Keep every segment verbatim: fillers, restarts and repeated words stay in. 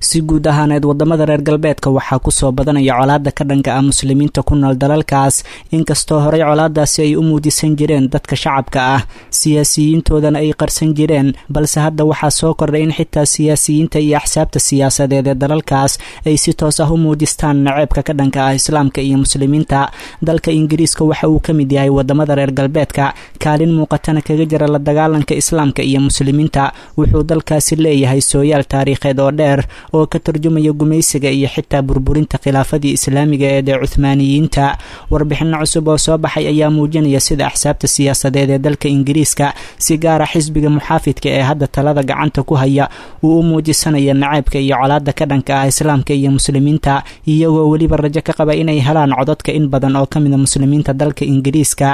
Si guud ahaaneed wadamada reer galbeedka waxaa kusoo badanaya colaadda ka dhanka ah muslimiinta ku nool dalalkaas, inkastoo horey colaadaasi ay u muujisan jireen dadka shacabka ah, siyaasiyiintoodana ay qarsan jireen, balse hadda waxaa soo kordhay in xitaa siyaasiyiinta iyo axsaabta siyaasadeed ee dalalkaas ay si toos ah u muujistaan naceebka ka dhanka ah islaamka iyo muslimiinta. Dalka Ingiriiska waxa uu ka mid yahay wadamada reer galbeedka kaalin muuqatana kaga jira la dagaalanka islaamka iyo muslimiinta. Wuxuu dalkaasi leeyahay sooyaal taariikheed oo dheer oo ka tarjumaya gumaysiga iyo xitaa burburinta khilaafadii islaamiga ee dee Cuthmaaniyiinta. Warbixino cusub oo soo baxay ayaa muujinaya sida axsaabta siyaasadeed ee dalka Ingiriiska, si gaara xisbiga muxaafidka ee hadda talada gacanta ku haya, uu u muujisanaya naceebka iyo colaadda ka dhanka ah islaamka iyo muslimiinta, iyagoo weliba rajo ka qaba inay helaan codadka in badan oo ka mida muslimiinta dalka Ingiriiska.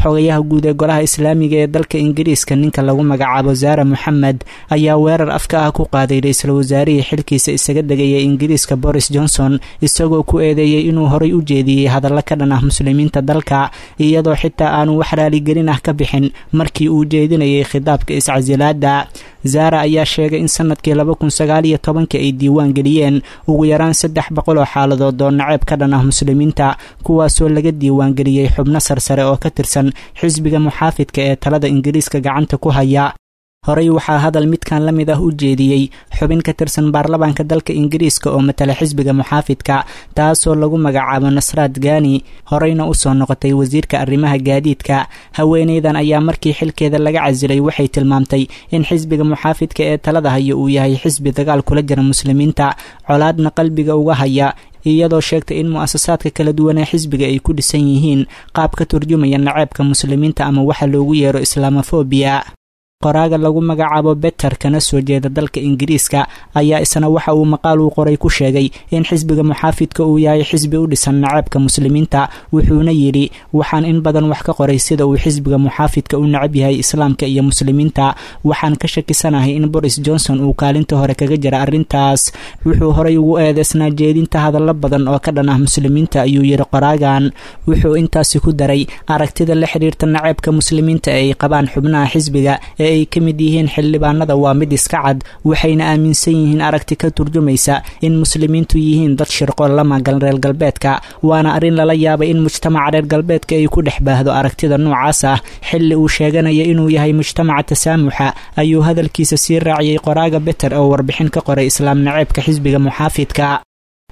Xogayaha guud ee golaha islaamiga ee dalka Ingiriiska, ninka lagu magacaabo Zaara Moxamed, ayaa weerar afka ah ku qaaday ra-iisul wasaarihii xilkiisa isaga degaya Ingiriiska Boris Johnson, isagoo ku eedeeyey inuu horay u jeediyey hadallo ka dhan ah muslimiinta dalka, iyadoo xitaa aanu wax raaligelin ah ka bixin markii uu jeedinayay khitaabka iscasilaada. Zara ayaa sheegay in sanadkii laba kun sagaal iyo tobanka ay diiwaan geliyeen ugu yaraan saddex boqol oo xaaladood oo naceeb ka dhan ah muslimiinta, kuwaasoo laga diiwaangeliyey xubno sarsare oo ka tirsan xisbiga muxaafidka ee talada Ingiriiska gacanta ku haya. Horey waxaa hadal midkan la mid ah u jeediyey xubin ka tirsan baarlamaanka dalka Ingiriiska oo matala xisbiga muxaafidka, taasoo lagu magacaabo Nasraad Gani, horeyna usoo noqotay wasiirka arrimaha gaadiidka. Haweeneydan ayaa markii xilkeeda laga casilay waxay tilmaamtay in xisbiga muxaafidka ee talada haya uu yahay xisbi dagaal kula jira muslimiinta, colaadna qalbiga uga haya, iyadoo sheegtay in mu'asasaadka kala duwan ee xisbiga ay ku dhisan yihiin qaab ka turjumaya naceebka muslimiinta ama waxa loogu yeero islamofobiya. Qoraaga lagu magacaabo Beter, kana soo jeeda dalka Ingiriiska, ayaa isna waxa uu maqaal uu qoray ku sheegay in xisbiga muxaafidka uu yahay xisbi u dhisan naceebka muslimiinta. Wuxuuna yidhi: "Waxaan in badan wax ka qoray sida uu xisbiga muxaafidka u necab yahay islaamka iyo muslimiinta. Waxaan ka shakisanahay in Boris Johnson uu kaalinta hore kaga jira arrintaas. Wuxuu horay ugu eedeysnaa jeedinta hadallo badan oo ka dhan ah muslimiinta," ayuu yidhi qoraagan. Wuxuu intaasi ku daray: "Aragtida la xiriirta naceebka muslimiinta ee ay qabaan xubnaha xisbiga ee ay ka mid yihiin xildhibaanada waa mid iska cad, waxayna aaminsan yihiin aragti ka turjumaysa in muslimiintu yihiin dad shirqool la magan reer galbeedka. Waana arrin lala yaabay in mujtamaca reer galbeedka ay ku dhex baahdo aragtida noocaas ah xilli uu sheeganaya inuu yahay mujtamaca tasaamuxa," ayuu hadalkiisa sii raaciyey qoraaga Beter oo warbixin ka qoray islaam naceebka xisbiga muxaafidka.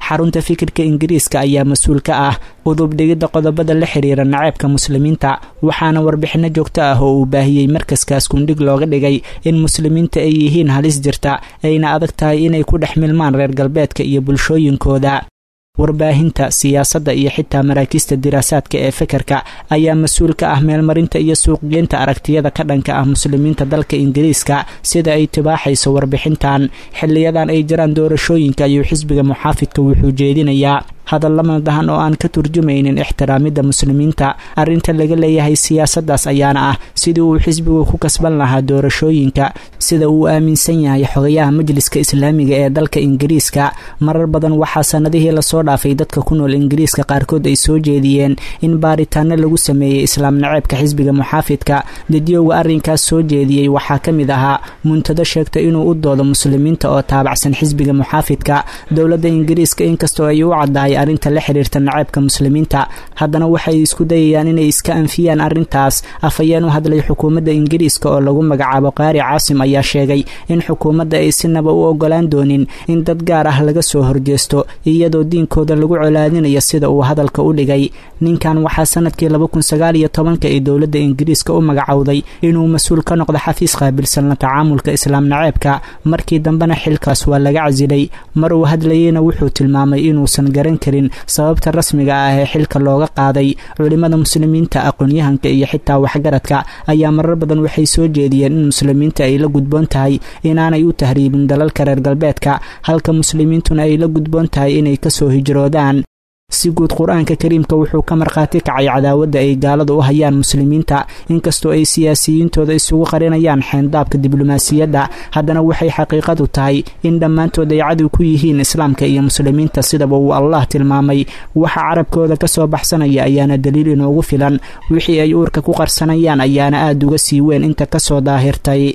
Xarunta fikirka Ingiriiska ayaa mas-uul ka ah udub dhigidda qodobada la xiriira naceebka muslimiinta, waxaana warbixino joogto ah oo uu baahiyey markaskaas kundhig looga dhigay in muslimiinta ay yihiin halis jirta, ayna adag tahay inay ku dhex milmaan reer galbeedka iyo bulshooyinkooda. Warbaahinta siyaasadda iyo xitaa maraakiista diraasaadka ee fekerka ayaa mas-uul ka ah meelmarinta iyo suuqgeynta aragtiyada ka dhanka ah muslimiinta dalka Ingiriiska, sida ay tibaaxayso warbixintan. Xiliyadan ay jiraan doorashooyinka ayuu xisbiga muxaafidka wuxuu jeedinayaa hadalla madahan oo aan ka turjumaynin ixtiraamidda muslimiinta. Arrinta laga leeyahay siyaasaddaas ayaana ah sidii uu xisbigu ku kasban lahaa doorashooyinka, sida uu aaminsan yahay xogayaha majliska islaamiga ee dalka Ingiriiska. Marar badan waxaa sanadihii lasoo dhaafay dadka ku nool Ingiriiska qaarkood ay soo jeediyeen in baaritaano lagu sameeyey islaam naceebka xisbiga muxaafidka. Dadyowga arrinkaas soo jeediyey waxaa ka mid ahaa muntado sheegta inuu u doodo muslimiinta oo taabacsan xisbiga muxaafidka. Dowladda Ingiriiska, inkastoo ay u caddahay arrinta la xiriirta naceebka muslimiinta, haddana waxay isku dayayaan inay iska anfiyaan arrintaas. Afhayeen u hadlay xukuumadda Ingiriiska oo lagu magacaabo Qaari Caasim ayaa sheegay in xukuumadda ay sinaba u ogolaan doonin in dad gaar ah laga soo horjeesto iyadoo diinkooda lagu colaadinayo, sida uu hadalka u dhigay. Ninkan waxaa sanadkii laba kun sagaal iyo tobanka ee dowladda Ingiriiska u magacowday inuu mas-uul ka noqdo xafiis qaabilsan la tacaamulka islaam naceebka, markii dambena xilkaas waa laga casilay. Mar uu hadlayeyna wuxuu tilmaamay inuusan garan karin sababta rasmiga ah ee xilka looga qaaday. Culimada muslimiinta, aqoon-yahanka iyo xitaa waxgaradka ayaa marar badan waxay soo jeediyeen in muslimiinta ay la gudboon tahay inaanay u tahriibin dalalka reer galbeedka, halka muslimiintuna ay la gudboon tahay inay kasoo hijroodaan. Si guud, Qur-aanka kariimka wuxuu ka markhaati kacay cadaawadda ay gaaladu u hayaan muslimiinta. Inkastoo ay siyaasiyiintooda isugu qarinayaan xeendaabka diblomaasiyadda, haddana waxay xaqiiqadu tahay in dhammaantood ay cadow ku yihiin islaamka iyo muslimiinta, sidaba uu Allah tilmaamay. Waxa carabkooda ka soo baxsanaya ayaana daliil inoogu filan, wixii ay uurka ku qarsanayaan ayaana aada uga sii weyn inta kasoo daahirtay.